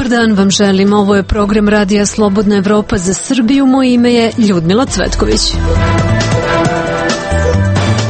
Dobar dan vam želim, ovo je program Radija Slobodna Evropa za Srbiju, moje ime je Ljudmila Cvetković.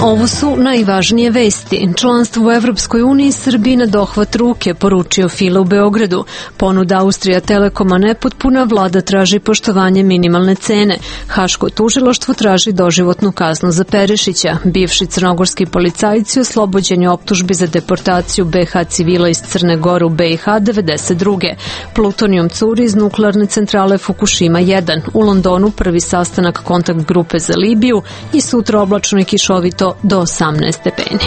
Ovo su najvažnije vesti. Članstvo u Evropskoj uniji Srbiji na dohvat ruke, poručio File u Beogradu. Ponuda Austrija Telekoma nepotpuna, vlada traži poštovanje minimalne cene. Haško tužilaštvo traži doživotnu kaznu za Perišića. Bivši crnogorski policajci oslobođeni optužbi za deportaciju BiH civila iz Crne Gore u BiH 92. Plutonijum curi iz nuklearne centrale Fukushima 1. U Londonu prvi sastanak kontakt grupe za Libiju i sutra oblačno i kišovito do 18 stepeni.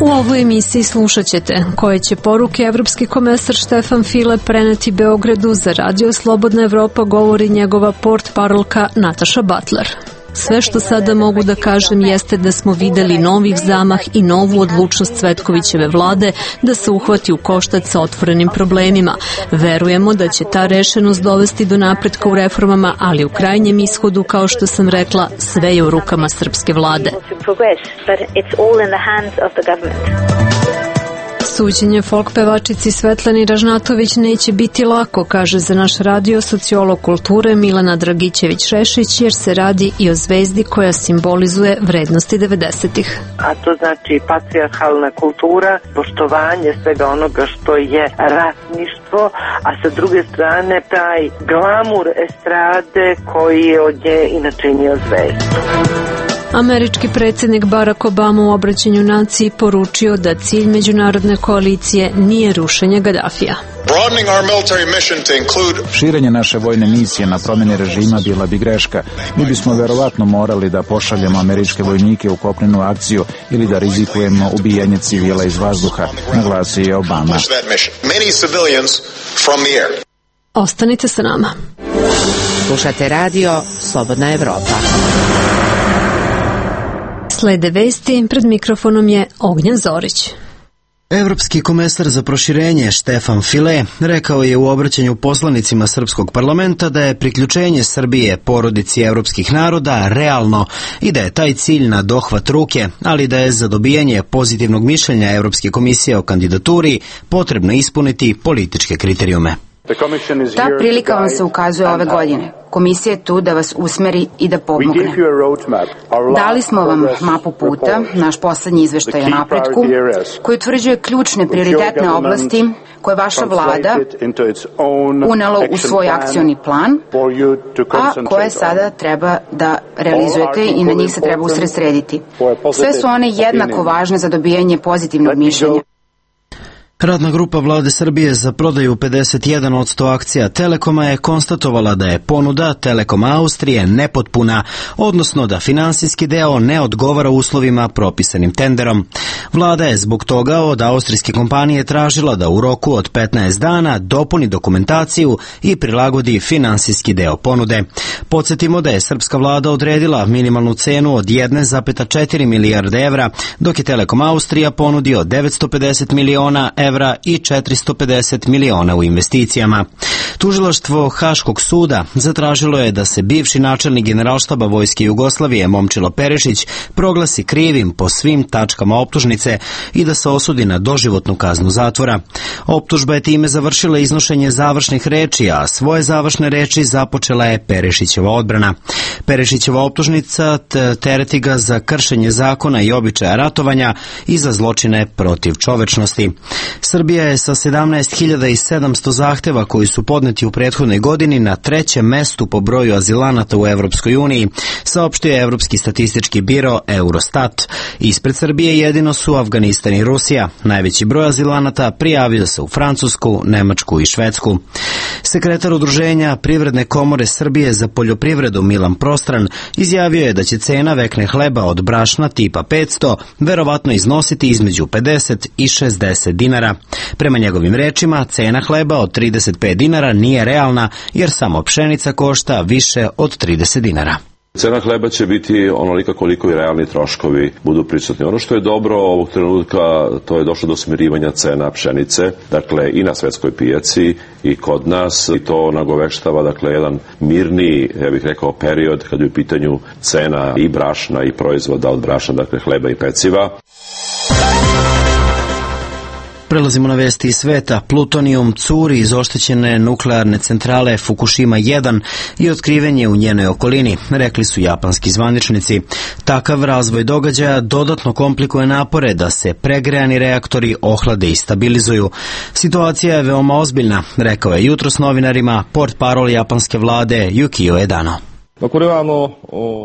U ovoj emisiji slušat ćete koje će poruke evropski komesar Štefan File preneti Beogradu. Za Radio Slobodna Evropa govori njegova portparolka Nataša Butler. Sve što sada mogu da kažem jeste da smo videli novih zamah i novu odlučnost Cvetkovićeve vlade da se uhvati u koštac sa otvorenim problemima. Verujemo da će ta rešenost dovesti do napretka u reformama, ali u krajnjem ishodu, kao što sam rekla, sve je u rukama srpske vlade. Suđenje folk pevačici Svetlani Ražnatović neće biti lako, kaže za naš radio sociolog kulture Milana Dragićević-Šešić, jer se radi i o zvezdi koja simbolizuje vrednosti 90-ih. A to znači patrijarhalna kultura, poštovanje svega onoga što je ratništvo, a sa druge strane taj glamur estrade koji je od nje inače nio zvezdu. Američki predsjednik Barack Obama u obraćanju naciji poručio da cilj međunarodne koalicije nije rušenje Gadafija. Širenje naše vojne misije na promjeni režima bila bi greška. Mi bismo verovatno morali da pošaljemo američke vojnike u kopnenu akciju ili da rizikujemo ubijanje civila iz vazduha, naglasio je Obama. Ostanite sa nama. Slušate radio Slobodna Evropa. Slede vesti, pred mikrofonom je Ognjen Zorić. Evropski komesar za proširenje Štefan File rekao je u obraćanju poslanicima Srpskog parlamenta da je priključenje Srbije porodici evropskih naroda realno i da je taj cilj na dohvat ruke, ali da je za dobijanje pozitivnog mišljenja Evropske komisije o kandidaturi potrebno ispuniti političke kriterijume. Ta prilika vam se ukazuje ove godine. Komisija je tu da vas usmeri i da pomogne. Dali smo vam mapu puta, naš poslednji izveštaj o napretku, koji utvrđuje ključne prioritetne oblasti koje vaša vlada unela u svoj akcioni plan, a koje sada treba da realizujete i na njih se treba usredsrediti. Sve su one jednako važne za dobijanje pozitivnog mišljenja. Radna grupa vlade Srbije za prodaju 51% akcija Telekoma je konstatovala da je ponuda Telekoma Austrije nepotpuna, odnosno da finansijski deo ne odgovara uslovima propisanim tenderom. Vlada je zbog toga od austrijske kompanije tražila da u roku od 15 dana dopuni dokumentaciju i prilagodi finansijski deo ponude. Podsjetimo da je srpska vlada odredila minimalnu cenu od 1,4 milijarde evra, dok je Telekom Austrija ponudio 950 miliona evra i 450 miliona u investicijama. Tužilaštvo Haškog suda zatražilo je da se bivši načelnik Generalštaba Vojske Jugoslavije Momčilo Perišić proglasi krivim po svim tačkama optužnice i da se osudi na doživotnu kaznu zatvora. Optužba je time završila iznošenje završnih reči, a svoje završne reči započela je Perišićeva odbrana. Perišićeva optužnica tereti ga za kršenje zakona i običaja ratovanja i za zločine protiv čovečnosti. Srbija je sa 17.700 zahteva koji su podneti u prethodnoj godini na 3. mestu po broju azilanata u Evropskoj uniji, saopštio je Evropski statistički biro Eurostat. Ispred Srbije jedino su Afganistan i Rusija. Najveći broj azilanata prijavio se u Francusku, Nemačku i Švedsku. Sekretar Udruženja Privredne komore Srbije za poljoprivredu Milan Prostran izjavio je da će cena vekne hleba od brašna tipa 500 verovatno iznositi između 50 i 60 dinara. Prema njegovim rečima, cena hleba od 35 dinara nije realna jer samo pšenica košta više od 30 dinara. Cena hleba će biti onolika koliko i realni troškovi budu prisutni. Ono što je dobro ovog trenutka, to je došlo do smirivanja cena pšenice, dakle i na svetskoj pijaci i kod nas, i to nagoveštava dakle jedan mirniji, ja bih rekao, period kad je u pitanju cena i brašna i proizvoda od brašna, dakle hleba i peciva. Prelazimo na vesti iz sveta. Plutonijum curi iz oštećene nuklearne centrale Fukushima 1 i otkriven je u njenoj okolini, rekli su japanski zvaničnici. Takav razvoj događaja dodatno komplikuje napore da se pregrejani reaktori ohlade i stabilizuju. Situacija je veoma ozbiljna, rekao je jutros novinarima portparol japanske vlade Yukio Edano.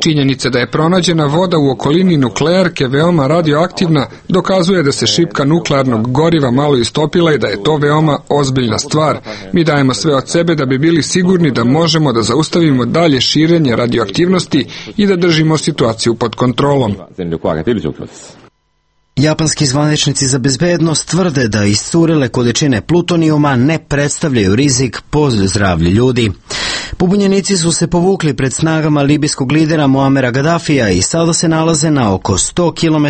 Činjenica da je pronađena voda u okolini nuklearke veoma radioaktivna dokazuje da se šipka nuklearnog goriva malo istopila i da je to veoma ozbiljna stvar. Mi dajemo sve od sebe da bi bili sigurni da možemo da zaustavimo dalje širenje radioaktivnosti i da držimo situaciju pod kontrolom. Japanski zvaničnici za bezbednost tvrde da iscurile količine plutonijuma ne predstavljaju rizik po zdravlje ljudi. Pobunjenici su se povukli pred snagama libijskog lidera Muamera Gaddafija i sada se nalaze na oko 100 km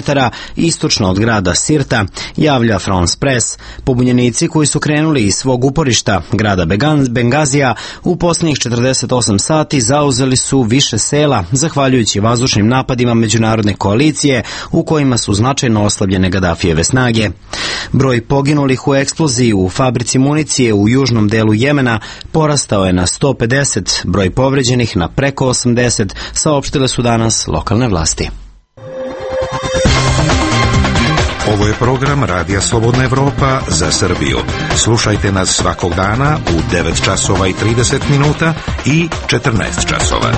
istočno od grada Sirta, javlja France Press. Pobunjenici koji su krenuli iz svog uporišta, grada Bengazija, u posljednjih 48 sati zauzeli su više sela, zahvaljujući vazdušnim napadima međunarodne koalicije u kojima su značajno oslabljene Gaddafijeve snage. Broj poginulih u eksploziji u fabrici municije u južnom delu Jemena porastao je na 150, broj povređenih na preko 80, saopštile su danas lokalne vlasti. Ovo je program Radija Slobodna Evropa za Srbiju. Slušajte nas svakog dana u 9 časova i 30 minuta i 14 časova.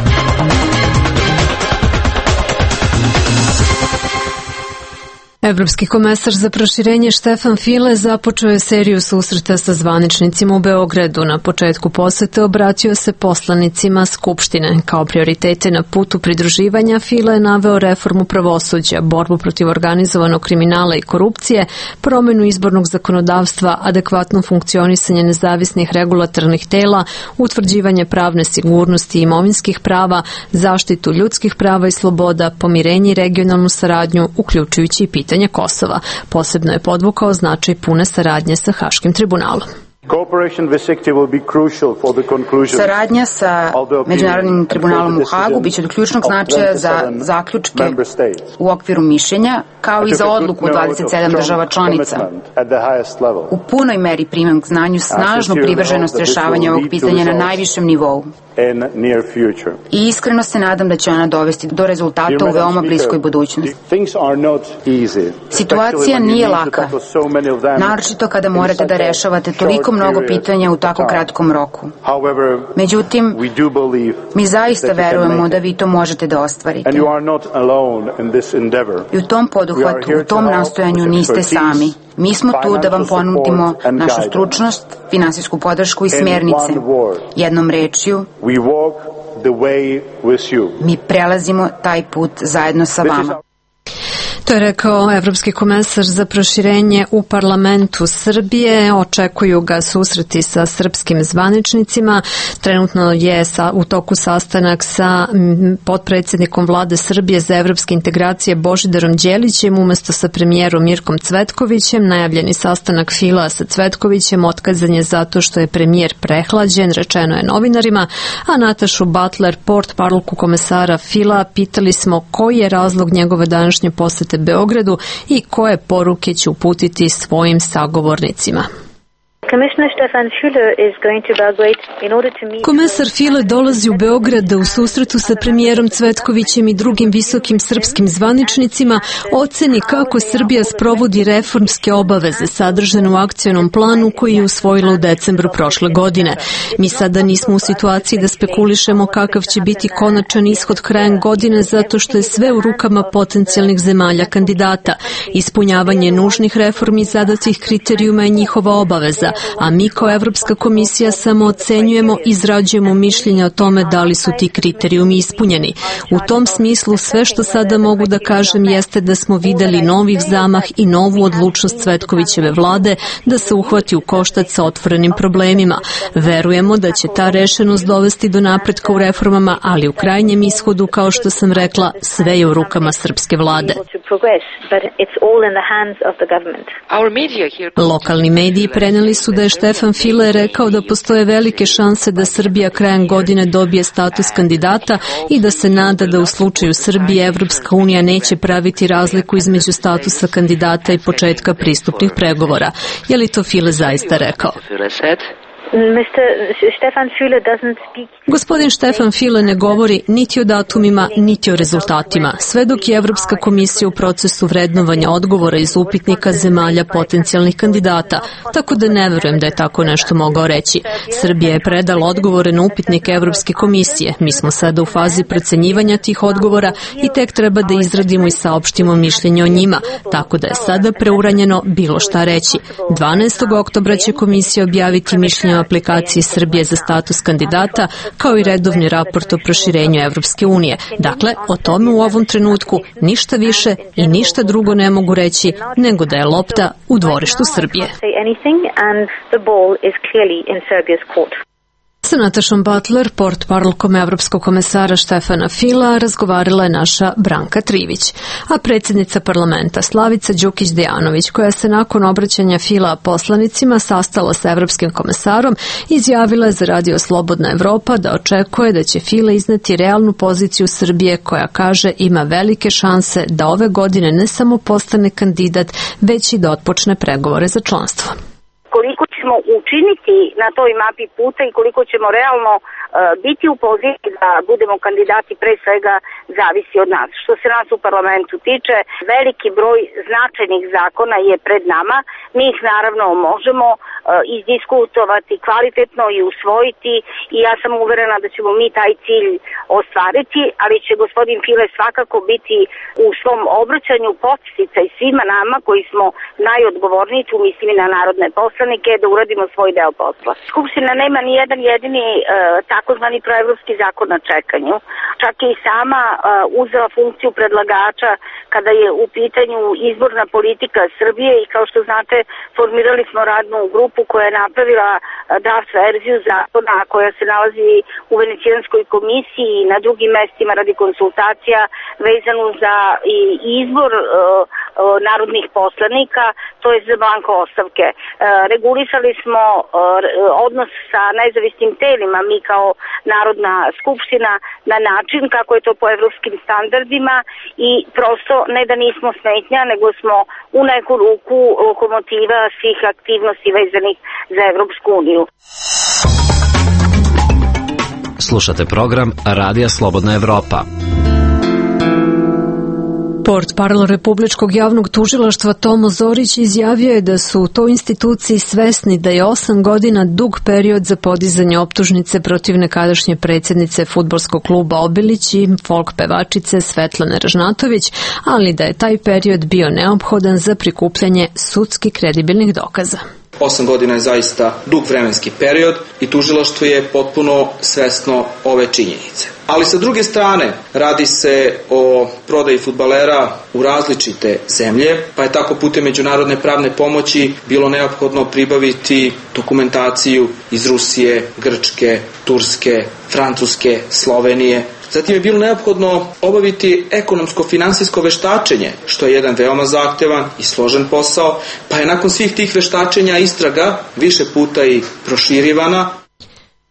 Evropski komesar za proširenje Štefan File započeo je seriju susreta sa zvaničnicima u Beogradu. Na početku posete obratio se poslanicima Skupštine. Kao prioritete na putu pridruživanja File je naveo reformu pravosuđa, borbu protiv organizovanog kriminala i korupcije, promenu izbornog zakonodavstva, adekvatno funkcionisanje nezavisnih regulatornih tela, utvrđivanje pravne sigurnosti i imovinskih prava, zaštitu ljudskih prava i sloboda, pomirenje i regionalnu saradnju, uključujući i pitanje Kosova. Posebno je podvukao značaj pune saradnje sa Haškim tribunalom. Saradnja sa Međunarodnim tribunalom u Hagu biće od ključnog značaja za zaključke u okviru mišljenja, kao i za odluku 27 država članica. U punoj meri primam k znanju snažnu privrženost rešavanja ovog pitanja na najvišem nivou. I iskreno se nadam da će ona dovesti do rezultata u veoma bliskoj budućnosti. Situacija nije laka, naročito kada morate da rešavate toliko mnogo pitanja u tako kratkom roku. Međutim, mi zaista verujemo da vi to možete da ostvarite. I u tom poduhvatu, u tom nastojanju niste sami. Mi smo tu da vam ponudimo našu stručnost, finansijsku podršku i smjernice. Jednom rečju, mi prelazimo taj put zajedno sa vama. To je rekao Evropski komesar za proširenje u parlamentu Srbije. Očekuju ga susreti sa srpskim zvaničnicima. Trenutno je u toku sastanak sa potpredsjednikom vlade Srbije za evropske integracije Božidarom Đelićem umesto sa premijerom Mirkom Cvetkovićem. Najavljeni sastanak Fila sa Cvetkovićem otkazan je zato što je premijer prehlađen, rečeno je novinarima, a Natašu Butler, portparolku komesara Fila, pitali smo koji je razlog njegove današnje posete Beogradu i koje poruke će uputiti svojim sagovornicima. Komesar File dolazi u Beograd da u susretu sa premijerom Cvetkovićem i drugim visokim srpskim zvaničnicima oceni kako Srbija sprovodi reformske obaveze sadržane u akcionom planu koji je usvojila u decembru prošle godine. Mi sada nismo u situaciji da spekulišemo kakav će biti konačan ishod krajem godine zato što je sve u rukama potencijalnih zemalja kandidata. Ispunjavanje nužnih reformi zadatih kriterijuma je njihova obaveza, a mi kao Evropska komisija samo ocenjujemo i izrađujemo mišljenja o tome da li su ti kriterijumi ispunjeni. U tom smislu sve što sada mogu da kažem jeste da smo videli novih zamah i novu odlučnost Cvetkovićeve vlade da se uhvati u koštac sa otvorenim problemima. Verujemo da će ta rešenost dovesti do napretka u reformama, ali u krajnjem ishodu, kao što sam rekla, sve je u rukama srpske vlade. Lokalni mediji preneli su su da je Štefan File rekao da postoje velike šanse da Srbija krajem godine dobije status kandidata i da se nada da u slučaju Srbije Evropska unija neće praviti razliku između statusa kandidata i početka pristupnih pregovora. Je li to File zaista rekao? Gospodin Štefan File ne govori niti o datumima, niti o rezultatima, sve dok je Evropska komisija u procesu vrednovanja odgovora iz upitnika zemalja potencijalnih kandidata, tako da ne verujem da je tako nešto mogao reći. Srbija je predala odgovore na upitnik Evropske komisije. Mi smo sada u fazi procenjivanja tih odgovora i tek treba da izradimo i saopštimo mišljenje o njima, tako da je sada preuranjeno bilo šta reći. 12. oktobra će komisija objaviti mišljenje aplikaciji Srbije za status kandidata, kao i redovni raport o proširenju Evropske unije. Dakle, o tome u ovom trenutku ništa više i ništa drugo ne mogu reći nego da je lopta u dvorištu Srbije. Sa Natašom Butler, portparolkom Evropskog komesara Štefana Fila, razgovarala je naša Branka Trivić. A predsjednica parlamenta Slavica Đukić-Dejanović, koja se nakon obraćanja Fila poslanicima sastala sa Evropskim komesarom, izjavila je za Radio Slobodna Evropa da očekuje da će Fila izneti realnu poziciju Srbije koja, kaže, ima velike šanse da ove godine ne samo postane kandidat, već i da otpočne pregovore za članstvo. Koliko ćemo učiniti na toj mapi puta i koliko ćemo realno biti u poziciji da budemo kandidati, pre svega zavisi od nas. Što se nas u parlamentu tiče, veliki broj značajnih zakona je pred nama. Mi ih naravno možemo izdiskutovati kvalitetno i usvojiti i ja sam uverena da ćemo mi taj cilj ostvariti, ali će gospodin File svakako biti u svom obraćanju podsticaj svima nama koji smo najodgovorniji, tu mislim i na narodne poslanike, da uradimo svoj deo posla. Skupština nema ni jedan jedini takozvani proevropski zakon na čekanju. Čak je i sama uzela funkciju predlagača kada je u pitanju izborna politika Srbije i kao što znate formirali smo radnu grupu koja je napravila draft verziju zakona koja se nalazi u Venecijanskoj komisiji i na drugim mestima radi konsultacija vezanu za izbor narodnih poslanika, to je za blanko ostavke. Regulisali smo odnos sa nezavisnim telima, mi kao Narodna skupština, na način kako je to po evropskim standardima i prosto ne da nismo smetnja, nego smo u neku ruku lokomotiva svih aktivnosti vezanih za Evropsku uniju. Slušate program Radija Slobodna Evropa. Portparol Republičkog javnog tužilaštva Tomo Zorić izjavio je da su u toj instituciji svesni da je 8 godina dug period za podizanje optužnice protiv nekadašnje predsjednice fudbalskog kluba Obilić i folk pevačice Svetlane Ražnatović, ali da je taj period bio neophodan za prikupljanje sudski kredibilnih dokaza. 8 godina je zaista dug vremenski period i tužilaštvo je potpuno svesno ove činjenice. Ali sa druge strane radi se o prodaji fudbalera u različite zemlje, pa je tako putem međunarodne pravne pomoći bilo neophodno pribaviti dokumentaciju iz Rusije, Grčke, Turske, Francuske, Slovenije. Zatim je bilo neophodno obaviti ekonomsko-finansijsko veštačenje, što je jedan veoma zahtevan i složen posao, pa je nakon svih tih veštačenja istraga više puta i proširivana.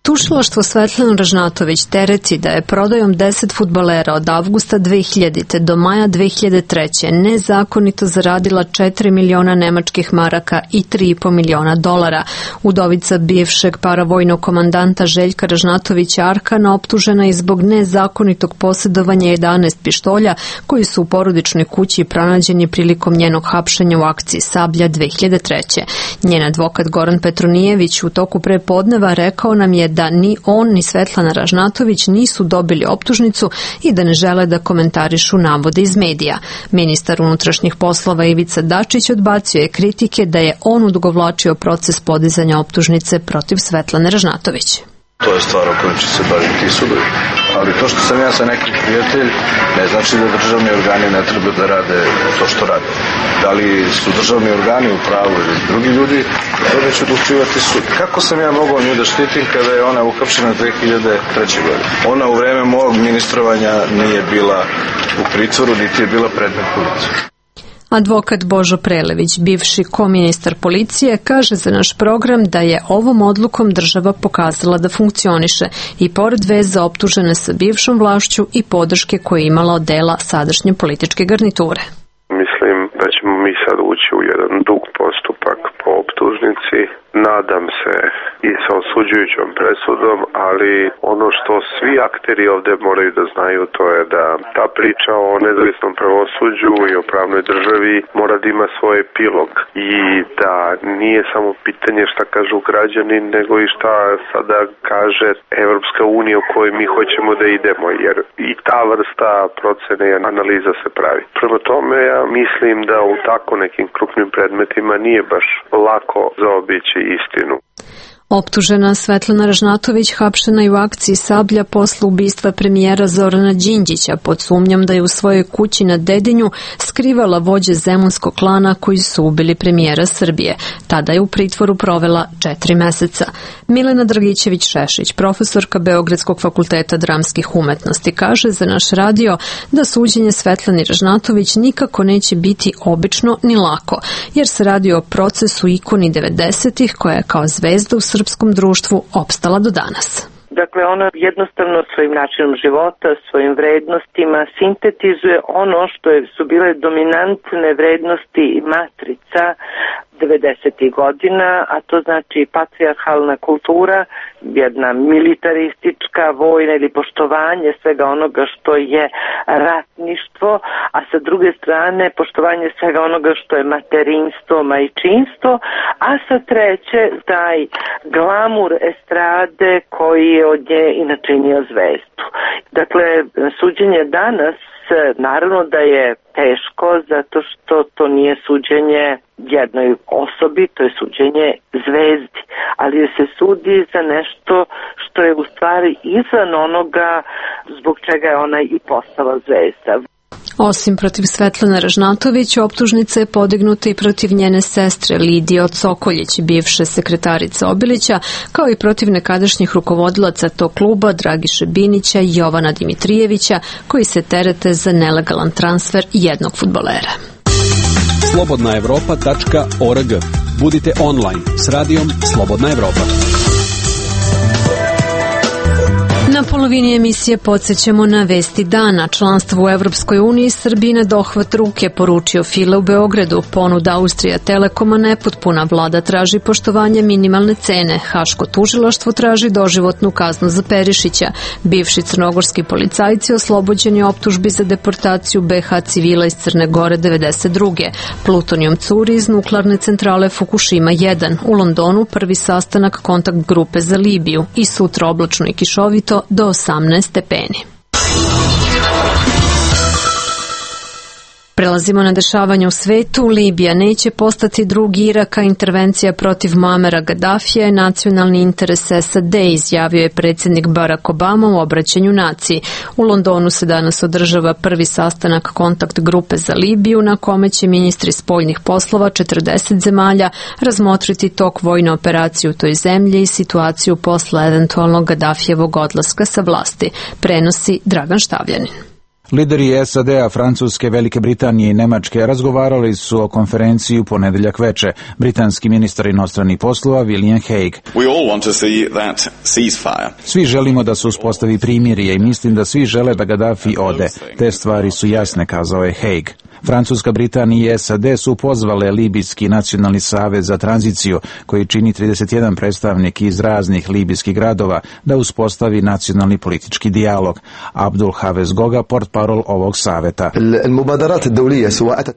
Tužilaštvo Svetlanu Ražnatović tereti da je prodajom 10 fudbalera od avgusta 2000. do maja 2003. nezakonito zaradila 4 miliona nemačkih maraka i 3,5 miliona dolara. Udovica bivšeg paravojnog komandanta Željka Ražnatovića Arkana optužena je zbog nezakonitog posjedovanja 11 pištolja koji su u porodičnoj kući pronađeni prilikom njenog hapšenja u akciji Sablja 2003. Njen advokat Goran Petronijević u toku prepodneva rekao nam je da ni on ni Svetlana Ražnatović nisu dobili optužnicu i da ne žele da komentarišu navode iz medija. Ministar unutrašnjih poslova Ivica Dačić odbacio je kritike da je on odugovlačio proces podizanja optužnice protiv Svetlane Ražnatović. To je stvar o kojoj će se baviti sudovi. Ali to što sam ja sa nekim prijatelj, ne znači da državni organi ne treba da rade to što rade. Da li su državni organi u pravu ili drugi ljudi, to će odlučivati sud. Kako sam ja mogao nju da štitim kada je ona uhapšena 2003. godine? Ona u vreme mog ministrovanja nije bila u pritvoru, niti je bila predmet policije. Advokat Božo Prelević, bivši koministar policije, kaže za naš program da je ovom odlukom država pokazala da funkcioniše i pored veza optužene sa bivšom vlašću i podrške koje je imala od dela sadašnje političke garniture. Mislim da ćemo mi sad ući u jedan dug postupak po optužnici. Nadam se i sa osuđujućom presudom, ali ono što svi akteri ovde moraju da znaju, to je da ta priča o nezavisnom pravosuđu i o pravnoj državi mora da ima svoj epilog i da nije samo pitanje šta kažu građani, nego i šta sada kaže Evropska unija u kojoj mi hoćemo da idemo, jer i ta vrsta procene i analiza se pravi. Prema tome, ja mislim da u tako nekim krupnim predmetima nije baš lako zaobići istinu. Optužena Svetlana Ražnatović hapšena je u akciji Sablja posle ubistva premijera Zorana Đinđića pod sumnjom da je u svojoj kući na Dedinju skrivala vođe zemunskog klana koji su ubili premijera Srbije. Tada je u pritvoru provela 4 meseca. Milena Dragićević-Šešić, profesorka Beogradskog fakulteta dramskih umetnosti, kaže za naš radio da suđenje Svetlani Ražnatović nikako neće biti obično ni lako, jer se radi o procesu ikoni 90-ih koja je kao zvezda u srpskom društvu opstala do danas. Dakle, ona jednostavno svojim načinom života, svojim vrednostima sintetizuje ono što su bile dominantne vrednosti i matrica 90. godina, a to znači patrijarhalna kultura, jedna militaristička, vojna ili poštovanje svega onoga što je ratništvo, a sa druge strane poštovanje svega onoga što je materinstvo, majčinstvo, a sa treće taj glamur estrade koji je od nje i načinio zvezdu. Dakle, suđenje danas naravno da je teško zato što to nije suđenje jednoj osobi, to je suđenje zvezdi, ali se sudi za nešto što je u stvari izvan onoga zbog čega je ona i postala zvezda. Osim protiv Svetlane Ražnatović, optužnica je podignuta i protiv njene sestre Lidije od Sokoljić, bivše sekretarice Obilića, kao i protiv nekadašnjih rukovodilaca tog kluba Dragiše Binića i Jovana Dimitrijevića, koji se terete za nelegalan transfer jednog fudbalera. slobodnaevropa.org. Budite online s radijom Slobodna Evropa. Na polovini emisije podsjećamo na vesti dana. Članstvo u Evropskoj uniji Srbiji na dohvat ruke, poručio File u Beogradu. Ponuda Austrija Telekoma nepotpuna. Vlada traži poštovanje minimalne cene. Haško tužilaštvo traži doživotnu kaznu za Perišića. Bivši crnogorski policajci oslobođeni optužbi za deportaciju BH civila iz Crne Gore 92. Plutonijum curi iz nuklearne centrale Fukushima 1. U Londonu prvi sastanak kontakt grupe za Libiju i sutra oblačno i kišovito do 18 stepeni. Prelazimo na dešavanje u svetu. Libija neće postati drugi Irak, a intervencija protiv Muamera Gaddafija je nacionalni interes SAD, izjavio je predsjednik Barack Obama u obraćanju naciji. U Londonu se danas održava prvi sastanak kontakt grupe za Libiju, na kome će ministri spoljnih poslova 40 zemalja razmotriti tok vojne operacije u toj zemlji i situaciju posle eventualnog Gaddafijevog odlaska sa vlasti, prenosi Dragan Štavljanin. Lideri SAD-a, Francuske, Velike Britanije i Nemačke razgovarali su o konferenciji u ponedeljak veče. Britanski ministar inostranih poslova William Hague. Svi želimo da se uspostavi primirje i mislim da svi žele da Gaddafi ode. Te stvari su jasne, kazao je Hague. Francuska, Britanija i SAD su pozvale Libijski nacionalni savez za tranziciju, koji čini 31 predstavnik iz raznih libijskih gradova, da uspostavi nacionalni politički dijalog. Abdul Hafez Goga, portparol ovog saveta.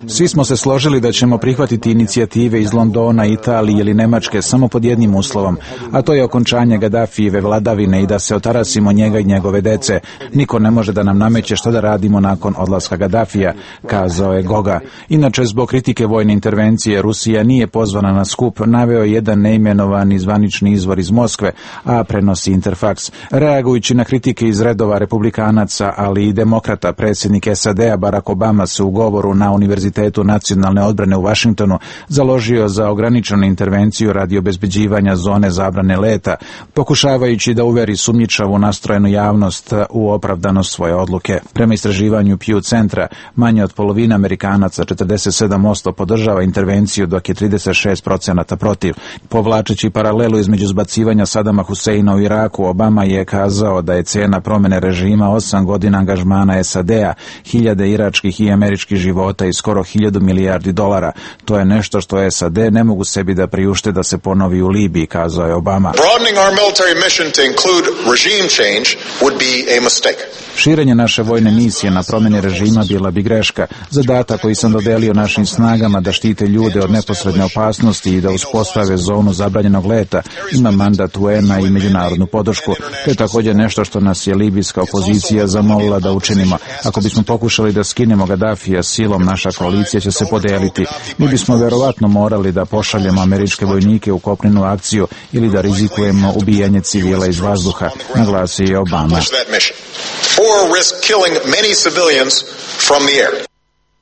Svi smo se složili da ćemo prihvatiti inicijative iz Londona, Italije ili Nemačke samo pod jednim uslovom, a to je okončanje Gaddafijeve vladavine i da se otarasimo njega i njegove dece. Niko ne može da nam nameće što da radimo nakon odlaska Gaddafija, kazao je Goga. Inače, zbog kritike vojne intervencije, Rusija nije pozvana na skup, naveo jedan neimenovani zvanični izvor iz Moskve, a prenosi Interfax. Reagujući na kritike iz redova republikanaca, ali i demokrata, predsjednik SAD-a Barack Obama se u govoru na Univerzitetu nacionalne odbrane u Vašingtonu založio za ograničenu intervenciju radi obezbeđivanja zone zabrane leta, pokušavajući da uveri sumnjičavu nastrojenu javnost u opravdanost svoje odluke. Prema istraživanju Pew centra, manje od polovina Amerikanaca, 47% podržava intervenciju, dok je 36% protiv. Povlačeći paralelu između zbacivanja Sadama Huseina u Iraku, Obama je kazao da je cena promene režima 8 godina angažmana SAD-a, 1000 iračkih i američkih života i skoro 1000 milijardi dolara. To je nešto što SAD ne mogu sebi da priušte da se ponovi u Libiji, kazao je Obama. Širenje naše vojne misije na promjeni režima bila bi greška. Zadatak koji sam dodelio našim snagama da štite ljude od neposredne opasnosti i da uspostave zonu zabranjenog leta ima mandat UN-a i međunarodnu podršku. To je također nešto što nas je libijska opozicija zamolila da učinimo. Ako bismo pokušali da skinemo Gadafija silom, naša koalicija će se podeliti. Mi bismo verovatno morali da pošaljemo američke vojnike u kopnenu akciju ili da rizikujemo ubijanje civila iz vazduha, naglasio je Obama.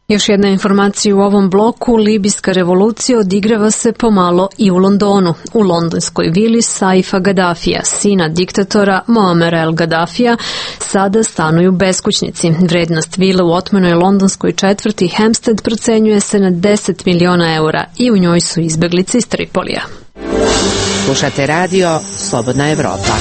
Još jedna informacija u ovom bloku, libijska revolucija odigrava se pomalo i u Londonu. U londonskoj vili Saifa Gaddafija, sina diktatora Moamera El Gaddafija, sada stanuju beskućnici. Vrednost vile u otmenoj londonskoj četvrti Hampstead procenjuje se na 10 miliona eura i u njoj su izbeglice iz Tripolija. Slušate radio Slobodna Evropa.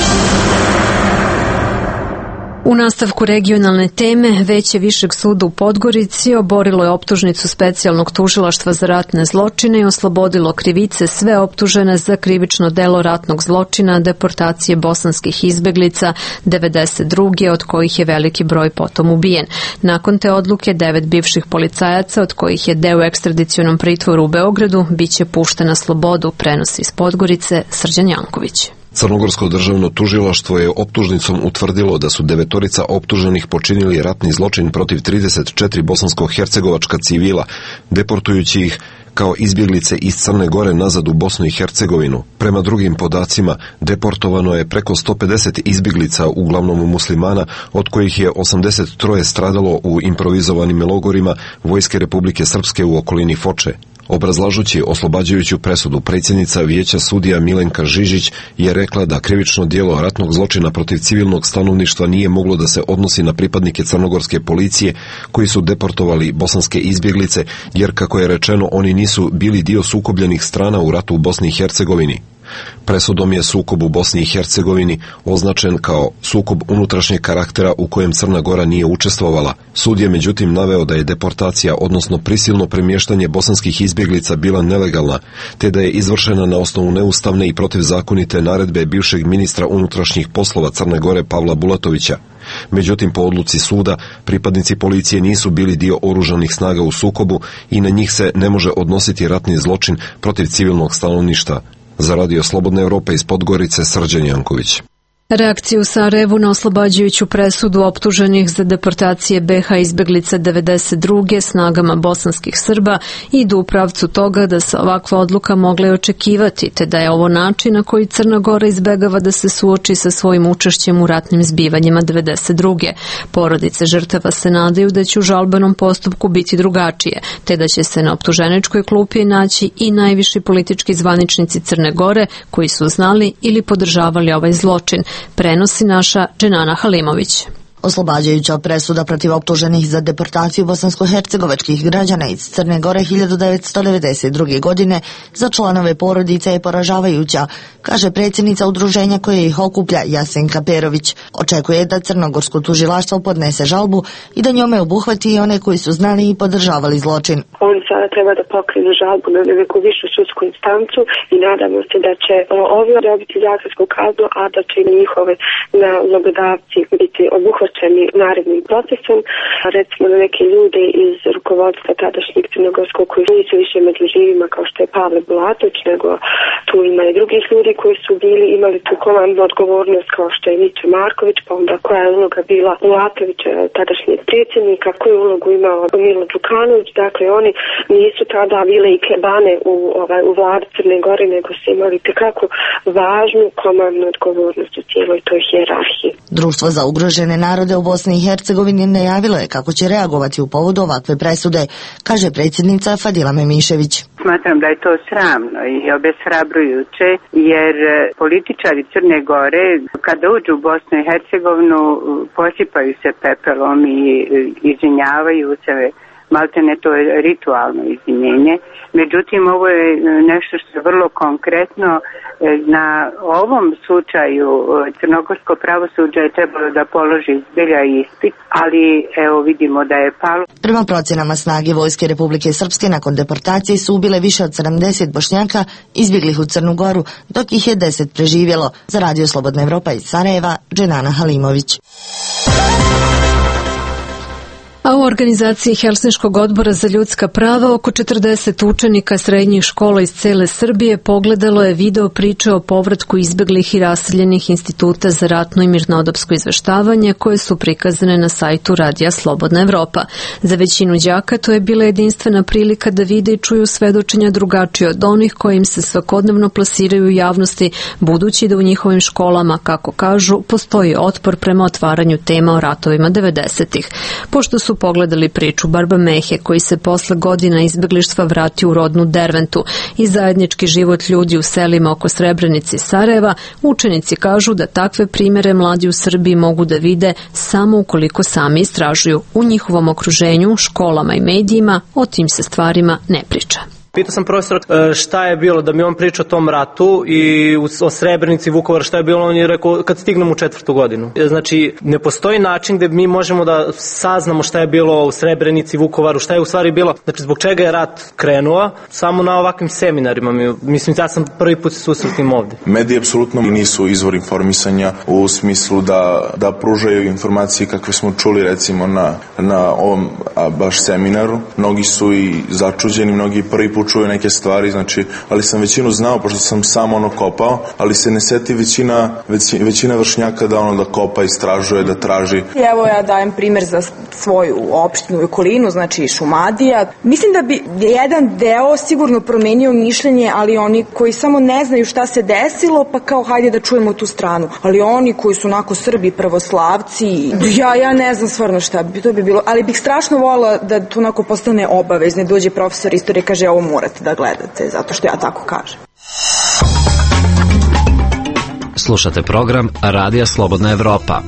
U nastavku regionalne teme, Veće Višeg suda u Podgorici oborilo je optužnicu specijalnog tužilaštva za ratne zločine i oslobodilo krivice sve optužene za krivično delo ratnog zločina deportacije bosanskih izbeglica 92. od kojih je veliki broj potom ubijen. Nakon te odluke 9 bivših policajaca, od kojih je deo u ekstradicionom pritvoru u Beogradu, biće pušten na slobodu, prenosi iz Podgorice Srđan Janković. Crnogorsko državno tužilaštvo je optužnicom utvrdilo da su 9 optuženih počinili ratni zločin protiv 34 bosansko-hercegovačka civila, deportujući ih kao izbjeglice iz Crne Gore nazad u Bosnu i Hercegovinu. Prema drugim podacima, deportovano je preko 150 izbjeglica, uglavnom muslimana, od kojih je 83 stradalo u improvizovanim logorima Vojske Republike Srpske u okolini Foče. Obrazlažući oslobađajuću presudu, predsjednica Vijeća sudija Milenka Žižić je rekla da krivično djelo ratnog zločina protiv civilnog stanovništva nije moglo da se odnosi na pripadnike crnogorske policije koji su deportovali bosanske izbjeglice, jer kako je rečeno oni nisu bili dio sukobljenih strana u ratu u Bosni i Hercegovini. Presudom je sukob u Bosni i Hercegovini označen kao sukob unutrašnjeg karaktera u kojem Crna Gora nije učestvovala. Sud je međutim naveo da je deportacija, odnosno prisilno premještanje bosanskih izbjeglica bila nelegalna, te da je izvršena na osnovu neustavne i protivzakonite naredbe bivšeg ministra unutrašnjih poslova Crne Gore Pavla Bulatovića. Međutim, po odluci suda, pripadnici policije nisu bili dio oružanih snaga u sukobu i na njih se ne može odnositi ratni zločin protiv civilnog stanovništva. Za radio Slobodna Evropa iz Podgorice, Srđan Janković. Reakciju u Sarajevu na oslobađajuću presudu optuženih za deportacije BiH izbeglica 92. snagama bosanskih Srba idu u pravcu toga da se ovakva odluka mogla očekivati, te da je ovo način na koji Crna Gora izbegava da se suoči sa svojim učešćem u ratnim zbivanjima 92. Porodice žrtava se nadaju da će u žalbenom postupku biti drugačije, te da će se na optuženičkoj klupi naći i najviši politički zvaničnici Crne Gore koji su znali ili podržavali ovaj zločin, prenosi naša Dženana Halimović. Oslobađajuća presuda protiv optuženih za deportaciju bosansko-hercegovačkih građana iz Crne Gore 1992. godine za članove porodice je poražavajuća, kaže predsjednica udruženja koje ih okuplja Jasenka Perović. Očekuje da crnogorsko tužilaštvo podnese žalbu i da njome obuhvati i one koji su znali i podržavali zločin. Oni sada treba da pokrenu žalbu na neku višu sudsku instancu i nadamo se da će ovi dobiti zatvorsku kaznu, a da će i njihove nalogodavci biti obuhvaćeni narednim procesom. Recimo da neke ljude iz rukovodstva tadašnjeg crnogorskog koji nisu više među živima kao što je Pavle Bulatović, nego tu ima i drugih ljudi koji su imali tu komandnu odgovornost kao što je Miće Marković, pa onda koja je uloga bila Bulatovića, tadašnjeg predsjednika, koju ulogu imao Milo Đukanović. Dakle, oni nisu tada bile i klebane u vladi Crne Gore, nego su imali tekako važnu komandnu odgovornost u cijeloj toj hijerarhiji. Društvo za ugrožene narode u Bosni i Hercegovini najavilo je kako će reagovati u povodu ovakve presude, kaže predsjednica Fadila Memišević. Smatram da je to sramno i obeshrabrujuće, jer političari Crne Gore kada uđu u Bosnu i Hercegovinu posipaju se pepelom i izvinjavaju se maltene to je ritualno izvinjenje. Međutim, ovo je nešto što je vrlo konkretno. Na ovom slučaju crnogorsko pravosuđe je trebalo da položi zbilja ispit, ali evo vidimo da je palo. Prema procenama snage Vojske Republike Srpske nakon deportacije su ubile više od 70 Bošnjaka izbjeglih u Crnu Goru, dok ih je 10 preživjelo. Za Radio Slobodna Evropa iz Sarajeva, Dženana Halimović. A u organizaciji Helsinškog odbora za ljudska prava oko 40 učenika srednjih škola iz cele Srbije pogledalo je video priče o povratku izbeglih i raseljenih instituta za ratno i mirnodopsko izveštavanje koje su prikazane na sajtu Radija Slobodna Evropa. Za većinu đaka to je bila jedinstvena prilika da vide i čuju svedočenja drugačije od onih kojim se svakodnevno plasiraju u javnosti, budući da u njihovim školama, kako kažu, postoji otpor prema otvaranju tema o ratovima 90-ih. Pošto su pogledali priču Barba Mehe, koji se posle godina izbeglištva vratio u rodnu Derventu, i zajednički život ljudi u selima oko Srebrenice i Sarajeva, učenici kažu da takve primere mladi u Srbiji mogu da vide samo ukoliko sami istražuju. U njihovom okruženju, školama i medijima o tim se stvarima ne priča. Pitao sam profesora šta je bilo da mi on priča o tom ratu i o Srebrenici, Vukovar, šta je bilo, on je rekao kad stignem u 4. godinu. Znači, ne postoji način gde mi možemo da saznamo šta je bilo u Srebrenici, Vukovaru, šta je u stvari bilo, znači zbog čega je rat krenuo, samo na ovakvim seminarima. Mislim, ja sam prvi put se susretim ovde. Mediji apsolutno nisu izvor informisanja u smislu da pružaju informacije kakve smo čuli recimo na ovom baš seminaru. Mnogi su i začuđeni, mnogi prvi put čuju neke stvari, znači, ali sam većinu znao, pošto sam sam kopao, ali se ne seti većina vršnjaka da kopa, istražuje, da traži. Evo ja dajem primer za svoju opštinu i okolinu, znači Šumadija. Mislim da bi jedan deo sigurno promenio mišljenje, ali oni koji samo ne znaju šta se desilo, pa kao hajde da čujemo tu stranu. Ali oni koji su onako Srbi, pravoslavci, ja ne znam stvarno šta bi to bilo, ali bih strašno volila da to onako postane obavezno, dođe profesor istorije, kaže ovo morate da gledate, zato što ja tako kažem. Slušate program Radija Slobodna Evropa.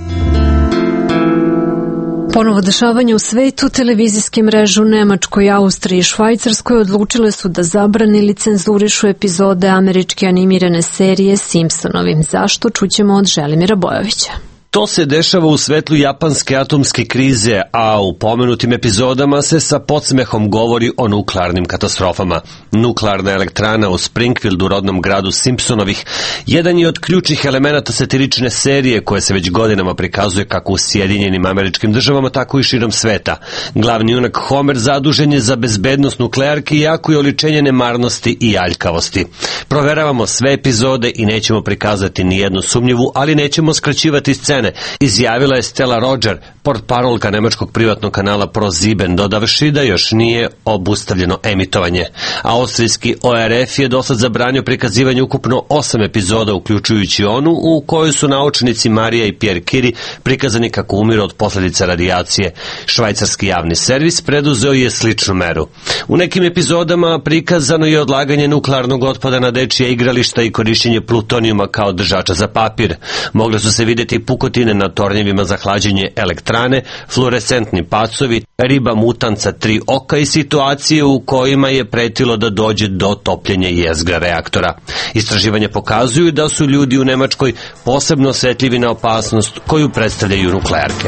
Ponovo dešavanje u svetu, televizijske mreže u Nemačkoj, Austriji i Švajcarskoj odlučile su da zabrane ili cenzurišu epizode američke animirane serije Simpsonovi. Zašto? Čućemo od Želimira Bojovića. To se dešava u svetlu japanske atomske krize, a u pomenutim epizodama se sa podsmehom govori o nuklearnim katastrofama. Nuklearna elektrana u Springfieldu, rodnom gradu Simpsonovih, jedan je od ključnih elemenata satirične serije koje se već godinama prikazuje kako u Sjedinjenim Američkim Državama, tako i širom sveta. Glavni junak Homer zadužen je za bezbednost nuklearki, jako je oličenje nemarnosti i aljkavosti. Proveravamo sve epizode i nećemo prikazati ni jednu sumnjivu, ali nećemo skraćivati scene, izjavila je Stella Roger, portparolka nemačkog privatnog kanala ProSieben, dodavši da još nije obustavljeno emitovanje. Austrijski ORF je dosad zabranio prikazivanje ukupno 8 epizoda, uključujući onu u kojoj su naučnici Marija i Pierre Curie prikazani kako umiru od posljedica radijacije. Švajcarski javni servis preduzeo je sličnu meru. U nekim epizodama prikazano je odlaganje nuklearnog otpada na dečija igrališta i korišćenje plutonijuma kao držača za papir. Mogle su se vidjeti pukotine na tornjevima za hlađenje elektrane, fluorescentni pacovi, riba mutanca 3 oka i situacije u kojima je pretilo da dođe do topljenja jezgra reaktora. Istraživanja pokazuju da su ljudi u Nemačkoj posebno osjetljivi na opasnost koju predstavljaju nuklearke.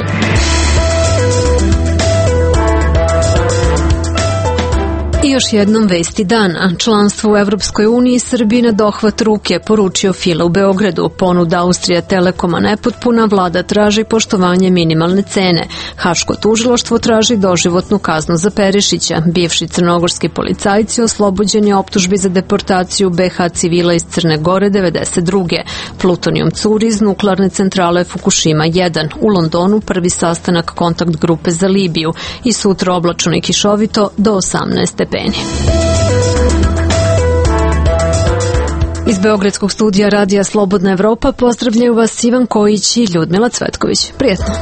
I još jednom vesti dana. Članstvo u Evropskoj uniji Srbiji na dohvat ruke, poručio Fila u Beogradu. Ponuda Austrija Telekoma nepotpuna, vlada traži poštovanje minimalne cene. Haško tužilaštvo traži doživotnu kaznu za Perišića. Bivši crnogorski policajci oslobođeni optužbi za deportaciju BH civila iz Crne Gore 92. Plutonijum curi iz nuklearne centrale Fukushima 1. U Londonu prvi sastanak kontakt grupe za Libiju i sutra oblačno i kišovito do 18 stepeni. Iz Beogradskog studija Radija Slobodna Evropa pozdravljaju vas Ivan Kojić i Ljudmila Cvetković. Prijetno!